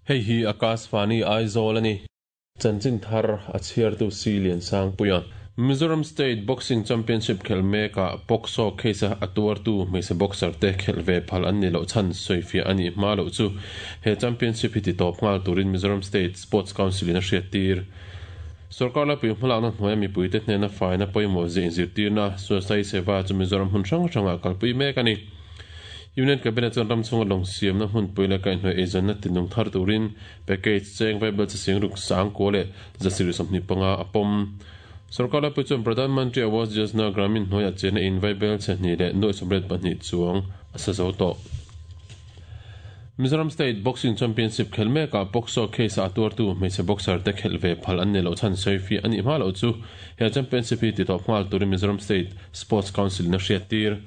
Hei hi Akashvani Aizawl a ni. Chanchin thar a chhiartu Si Liansangpuia. Mizoram State Boxing Championship khelh mekah POCSO case-a a tuartu hmeichhe boxer te khelh ve phal an nih loh chhan sawifiah a nih hma loh chu he championship hi titawp nghal turin Mizoram State Sports Council in a hriattir. Sorkar laipui hmalakna hnuaia mipuite hnena faina pawimawh zia inzirtirna Swasthai Seva chu Mizoram hmun hrang hrangah kalpui mek a ni. Union Cabinet chuan ram chhunga lawng siamna hmunpui leh kaihhnawih eizawnna tinung thar turin package cheng vaibel chi sing ruk sangkua leh zasir 25 a pawm. Sorkar laipui chuan Pradhan Mantri Awas Yojana Gramin hnuaiah chenna in vaibel chhe hnih leh nuaih 82 chuang a sa zo tawh. Mizoram State Boxing Championship khelh mekah POCSO case-a a tuartu hmeichhe boxer te khelh ve phal an ni loh chhan sawifiah a nih hma loh chu he championship hi titawp nghal turin Mizoram State Sports Council in a hriattir.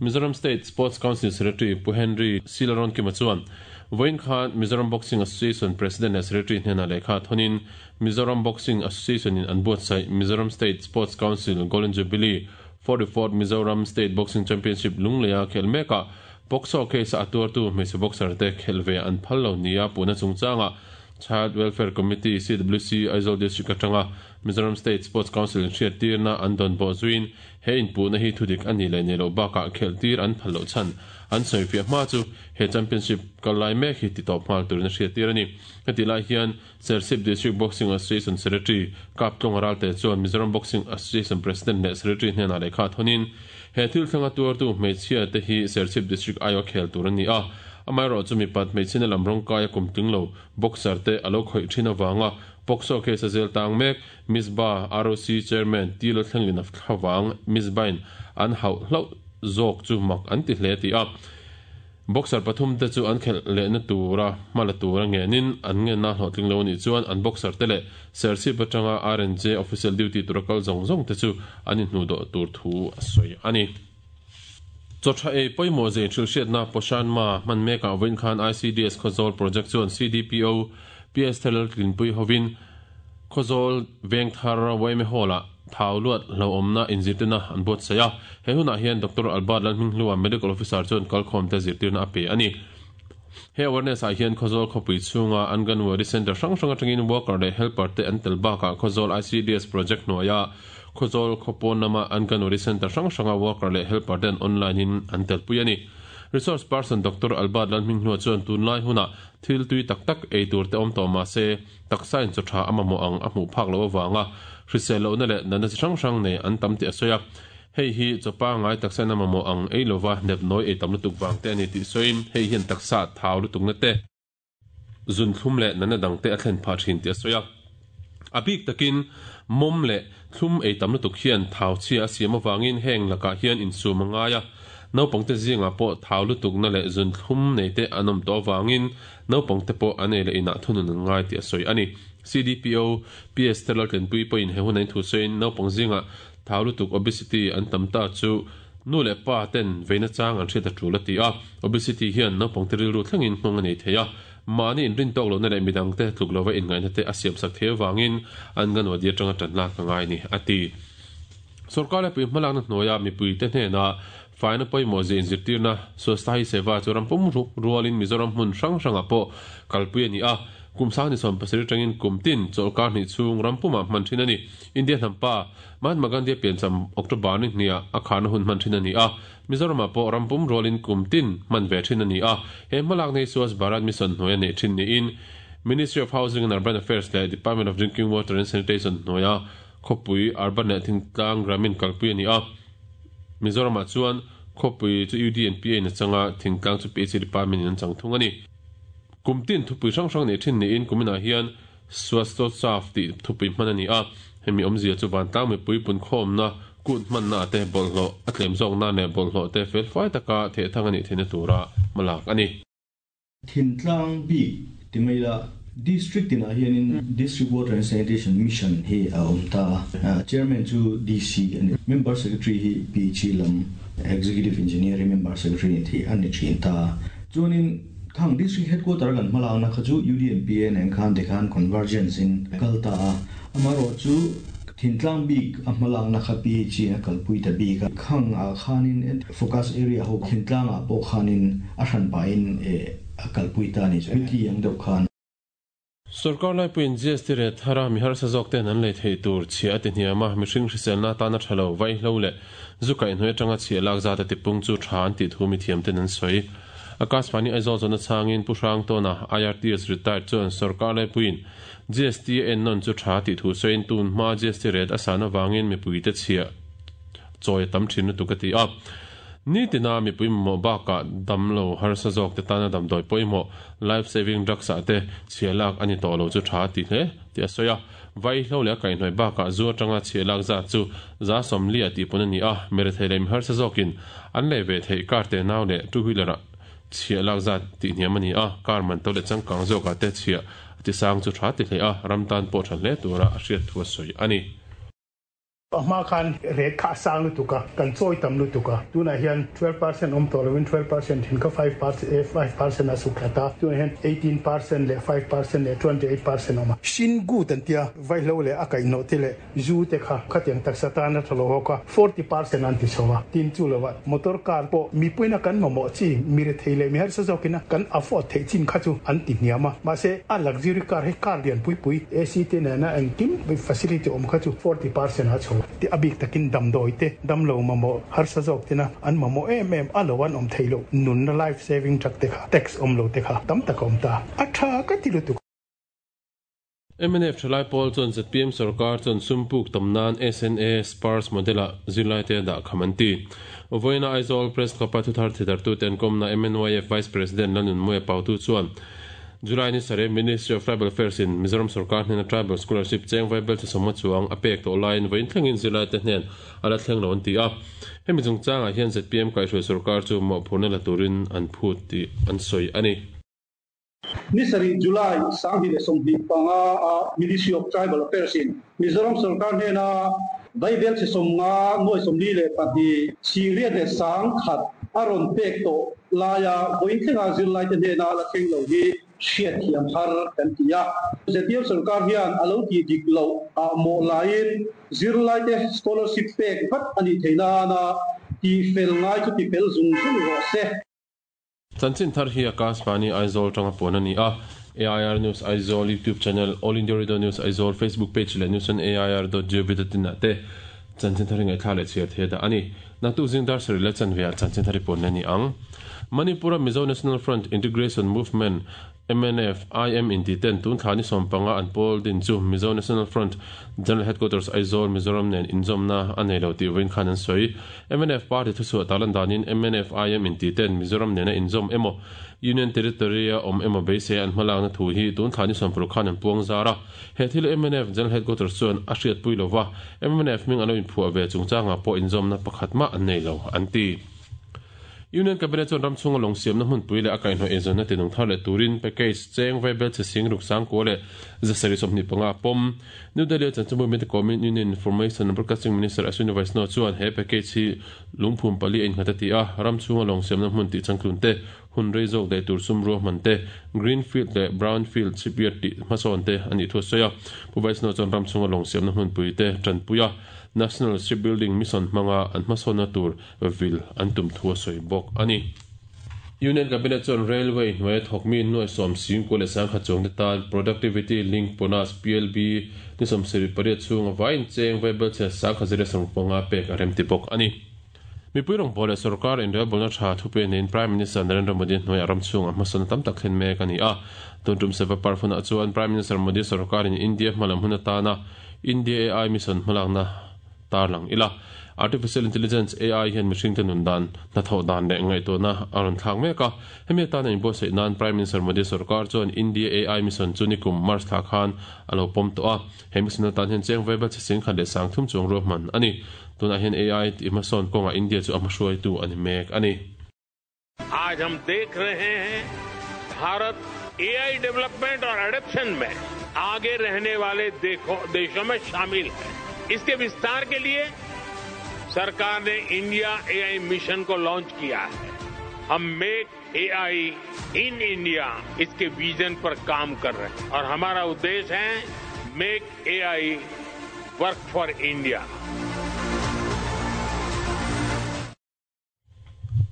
Mizoram State Sports Council Secretary Pu Henry Silaronkima chuan vawiin khan Mizoram Boxing Association President leh Secretary hnenah lehkha thawnin Mizoram Boxing Association in an buatsaih Mizoram State Sports Council Golden Jubilee 44th Mizoram State Boxing Championship lungleia khelh mekah POCSO case-a a tuartu hmeichhe boxer te khelh ve an phal lo nia puhna chungchangah Child Welfare Committee, CWC, Aizawl District atanga Mizoram State Sports Council in hriattirna an dawn bawh zuiin he inpuhna hi thudik a nih leh nih loh bakah khelh tir an phal loh chhan an sawifiah hma chu he championship kal lai mek hi titawp nghal turin a hriattir a ni. Hetih lai hian Serchhip District Boxing Association Secretary Kaptlung Ralte chuan Mizoram Boxing Association President leh Secretary hnenah lehkha thawnin he thil thlenga tuartu hmeichhia te hi Serchhip District aiawh khel tur an ni a, amaherawhchu mipat hmeichhina lam rawngkaia kum tling lo boxer te a lo khawih thin avanga POCSO case a zel tang mek Misba ROC Chairman T Lalthlenglina thlavang Misbain an hauh hlauh zawk chu mak an ti hle ti a. Boxer pathum te chu an khelh lehna tura hma la tura ngenin an ngenna hlawhtling lo a nih chuan an boxer te leh Serchhip atanga RNJ official duty tura kal zawng zawng te chu an inhnuhdawh tur thu a sawi a ni. Chawtha ei pawimawh zei hrilhhriatna Poshan Ma hman mekah vawiin khan ICDS Khawzawl Project chuan CDPO PS Thelal Tlinpui hovin Khawzawl Vengthar yma Hall-ah thau luat hlauhawmna inzirtirna an buatsaih a. He hunah hian Doctor Albert Lalhminghlua, Medical Officer chuan kalkhawmte zirtirna a pe a ni. He awareness ah hian Khawzawl khawpui chhunga Anganwadi Centre hrang hrang atangin worker leh helper te an tel bakah Khawzawl ICDS project hnuaia Khawzawl khawpawn lama Anganwadi Centre hrang hranga worker leh helper te an online in an telpui a ni. Resource person Doctor Albert Lalhminghlua chuan tunlai hunah thil tui tak tak ei tur te awm tawh mahse Taksa in chaw tha a mamawh ang a hmuh phak loh avanga hrisel lohna leh natna chi hrang hrang nei an tam tih a sawi a. Hei hi chaw pangngai taksa in a mamawh ang ei lova nep nawi ei tam lutuk vang te a ni tih sawiin hei hian taksa thau lutukna te, zunthlum leh natna dang te a thlen phah thin tih a sawi a. A bik takin mawm leh thlum ei tam lutuk hian thau chhia a siam avangin heng lakah hian insum a ngai a. Naupangte zingah pawh thau lutukna leh zunthlum nei te an awm tawh avangin Naupangte pawh an ei leh inah thunun an ngai tih a sawi a ni. CDPO, PS te Laltlenpui pawhin he hun a inthu sawiin naupang zingah thau lutuk, obesity, an tam ta chu nu leh pa ten veina chang an hriat a tul a ti a. Obesity hian naupangte rilru thlengin nghawng a nei thei a, mahni inrintawk lohna leh midangte tluk lova inngaihna te a siamsak thei avangin an nganwadi atanga tan lak a ngai ni, a ti. Sorkar lepui hmalakna hnuaia mipuite hnenah Faina pawimawh zia inzirtirna Swasthahi Seva chu ram pum rualin Mizoram hmun hrang hrangah pawh kalpui a ni a, kum sang ni 70 atangin kum tin chawlhkar hnih chhung ram pumah hman thin a ni. India hnampa Mahatma Gandhi-a piancham October ni hniah a kharna hun hman thin a ni a, Mizoramah pawh ram pum rualin kum tin hman ve thin a ni a, he hmalakna hi Swachh Bharat Mission hnuaia neih thin niin Ministry of Housing and Urban Affairs leh Department of Drinking Water and Sanitation hnuaia khawpui Urban leh Thingtlang Gramin kalpui a ni a. Mizoramah chuan khawpui chu UDNPA in a chang a, thingtlang chu PHE Department in an chang thung a ni. Kum tin thupui hrang hrang neih thin niin kuminah hian Swasthotsav tih thupui hman a ni a, hemi awmzia chu vantlang mipui punkhawmna kut hmanna ah te bawlhhlawh a tlem zawk nan leh bawlhhlawh te felfai taka thehthang a nih theihna tura hmalak a ni. Thintlang bik ti mai ila, District tinah hianin District Water and Sanitation Mission hi a awm ta a, Chairman chu DC a ni. Member Secretary hi PHE lam Executive Engineer hi Member Secretary ni thei a ni thin ta a. Chuanin khang District Headquarter kan hmalakna kha chu UDNPA nen khan tikhan convergence in kal ta a, amaherawhchu Thintlang bik a hmalakna kha PHE a kalpui ta bik a, khang ah khanin focus area ho thintlang ah pawh khanin a hran pahin a kalpui ta a ni. Committee ang deuh khan. Sorkar laipuiin GST rate thara mi harsa zawk ten an lei theih tur chhiah a ti hniam a, mihring hriselna atana tha lo, vaihlo leh zu kaihhnawih atanga chhiah lak zat a tipung chu tha an tih thu mithiam ten an sawi. Akashvani Aizawl zawhna chhangin Pu Hrangtawna, IRTS retired chuan sorkar laipuiin GST a ennawn chu tha tih thu sawiin tun hma GST rate a san avangin mipuite chhiah chawi a tam thin lutuk a ti a. Nitina mipui mamawh bakah damlo harsa zawk te tana damdawi pawimawh life saving drugs ah te chhiah lak a ni tawh lo chu tha a ti hle tih a sawi a. Vaihlo leh a kaihhnawih bakah zu atanga chhiah lak zat chu 140 ah tih pawn a ni a, mirethei leh miharsa zawkin an lei ve theih car te nau leh two wheeler ah chhiah lak zat tih hniam a ni a, car man to leh changkang zawkah te chhiah a ti sang chu tha ti hle a, ram tan pawh tha hle tura a hriat thu a sawi a ni. A hma khan rate kha a sang lutuk a, kan chawi tam lutuk a. Tunah hian 12% awm tawh lovin 12% thin kha 5% a suk thla ta. Tunah hian 18% leh 5% leh 28% awm a. Shin gut an tia, vaihlo leh a kaihhnawh te leh zu te kha khatiang taksa tan a tha lo hawk a, 40% an ti chho a. Tin chu lovah motor car pawh mipuina kan mamawh chi, mi rethei leh mi harsa zawkina kan afford theih chin kha chu an ti hniam a. Mahse, a luxury car hi car lian pui pui, AC te nena engkim facility awm kha chu 40% a chho ti a bik takin damdawi te, damlo mamawh harsa zawk tena an mamawh em em a lo an awm theih loh nunna life saving drug te kha tax awm lo te kha tam tak a awm ta a tha ka ti lutuk. Mnf thalai pawl chuan zpm sorkar chuan sum puk tam nan SNA Spurs model-a zirlaite a dah kham an ti. Vawiina Aizawl Press Club-a thuthar thidartute an kawmna MNYF Vice President Lalnunmuia Pautu chuan July ni sarih Ministry of Tribal Affairs in Mizoram sorkar hnena Tribal Scholarship cheng vaibel thasawmnga chuang a pek tawh laiin vawiin thlengin zirlaite hnen a la thleng lo an ti a. Hemi chungchangah hian zpm kaihhruai sorkar chu mawhphurhna la turin an phut tih an sawi a ni. Ni sarih July 2025 a Ministry of Tribal Affairs in Mizoram sorkar hnena Vaibel chhe sawmnga nuai 42 singriat leh 10,000 a rawn pek tawh laia vawiin thlenga zirlaite hnena la thleng lo hi hriat thiam har kan ti a. Zpm sorkar hian a lo tih dik loh ah mawh laiin zirlaite scholarship pek vat a nih theih nana tih fel ngai chu ti fel zung zung rawh se. Chanchin thar hi Akashvani Aizawl tanga puan a ni a, AIR News Aizawl YouTube channel, All India Radio News Aizawl Facebook page leh news on air dot gov dot in ah te chanchin thar hi ngaihthlak leh chhiar thei a dah a ni. Naktuk zing dar sarih leh chanve ah chanchin thar hi puan leh a ni ang. Manipur-a Mizo National Front Integration Movement, Mnf, IM inti ten tun thla ni 15 an pawl din chu Mizo National Front General Headquarters Aizawl, Mizoram nen inzawmna a nei lo tih vawiin khan an sawi. Mnf party thuchhuah tarlan danin mnf, IM inti ten Mizoram nena inzawm emaw Union Territory a awm emaw beisei an hmalakna thu hi tun thla ni 60 khan an puang zar a. He thil mnf General Headquarters chuan a hriatpui lova, mnf hming an lo inphuah ve chungchangah pawh inzawmna pakhat mah an nei lo an ti. Union Cabinet chuan ram chhunga lawng siamna hmunpui leh a kaihhnawih eizawnna tinung thar leh turin package cheng vaibel chhe sing ruk sangkua leh 725 a pawm. New Delhi-a chanchinbu mite kawmin Union Information and Broadcasting Minister Ashwini Vaishnaw chuan he package hi lungphum pali a innghat a ti a, ram chhunga lawng siamna hmun tih changtlun te, hun rei zawk daih tur sum ruahman te, greenfield leh brownfield shipyard tih hmasawn te a nih thu a sawi a. Pu Vaishnaw chuan ram chhunga lawng siamna hmunpui te tanpui a, National Shipbuilding Mission hmanga an hmasawnna tur vil an tum thu a sawi bawk a ni. Union Cabinet chuan Railway hnuaia thawkmi nuai sawm singkua leh sangkhat chuangte tan Productivity Link Bonus, PLB, ni 78 chhunga vaiin cheng vaibel chhe 10,150 pek a remti bawk a ni. Mipui rawngbâwl leh sorkar inrelbawlna tha thupe neiin Prime Minister Narendra Modi hnuaiah ram chhungah hmasawnna tam tak thlen mek a ni a. Tun tum Seva Parv hunah chuan Prime Minister Modi sorkarin India hmalam hun atana India AI Mission hmalakna tarlang ila. Artificial Intelligence, AI, hian mihringte nun dan, hnathawh dan leh ngaihtuahna a rawn thlak mek a. Hemi atana inbuatsaih nan Prime Minister Modi sorkar chuan India AI Mission chu nikum March thla khan a lo pawm tawh a. He mission atan hian cheng vaibel chhe 10,030 chuang ruahman a ni. Tunah hian AI tih hmasawn kawngah India chu a hmahruaitu a ni mek a ni. आज हम देख रहे हैं Bharat AI development और adoption में आगे रहने वाले देशों में शामिल है। इसके विस्तार के लिए सरकार ने India AI mission को लॉन्च किया है। हम make AI in India इसके विजन पर काम कर रहे हैं और हमारा उद्देश्य है make AI work for India.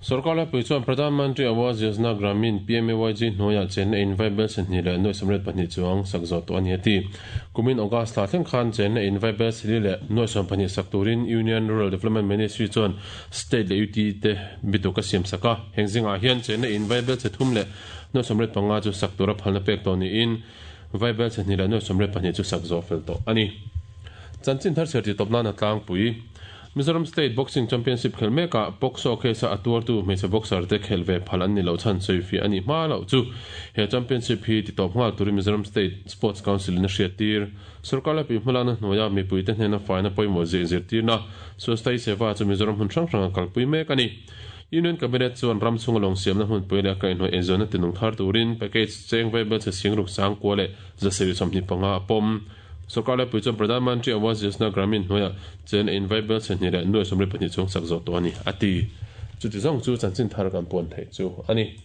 Sorkar laipui chuan Pradhan Mantri Awas Yojana Gramin, PMAYG, hnuaiah chenna in vaibel 282 chuang sak zawh tawh a ni a ti. Kumin August thla thleng khan chenna in vaibel 420 sak turin Union Rural Development Ministry chuan State leh UT te bituk a siam sak a. Heng zingah hian chenna in vaibel 385 chu sak tura phalna pek tawh niin vaibel 282 chu sak zawh fel tawh a ni. Chanchin thar chhiar tih tawp nan a tlangpui. Mizoram State Boxing Championship khelh mekah POCSO case-a a tuartu hmeichhe boxer te khelh ve phal an ni loh chhan sawifiah a nih hma loh chu he championship hi titawp nghal turin Mizoram State Sports Council in a hriattir. Sorkar laipui hmalakna hnuaia mipuite hnena faina pawimawh zia inzirtirna Swasthai Seva chu Mizoram hmun hrang hranga kalpui mek a ni. Union Cabinet chuan ram chhunga lawng siamna hmunpui leh a kaihhnawih eizawnna tinung thar turin package cheng vaibelchhe singruk sangkua leh 725 a pawm. Sorkar laipui chuan Pradhan Mantri Awas Yojana Gramin hnuaiah chen a invai bel 272 chhung sak zawh tawh a ni, a ti. Chuti zawng chu chanchin thar kan puan theih chu a ni.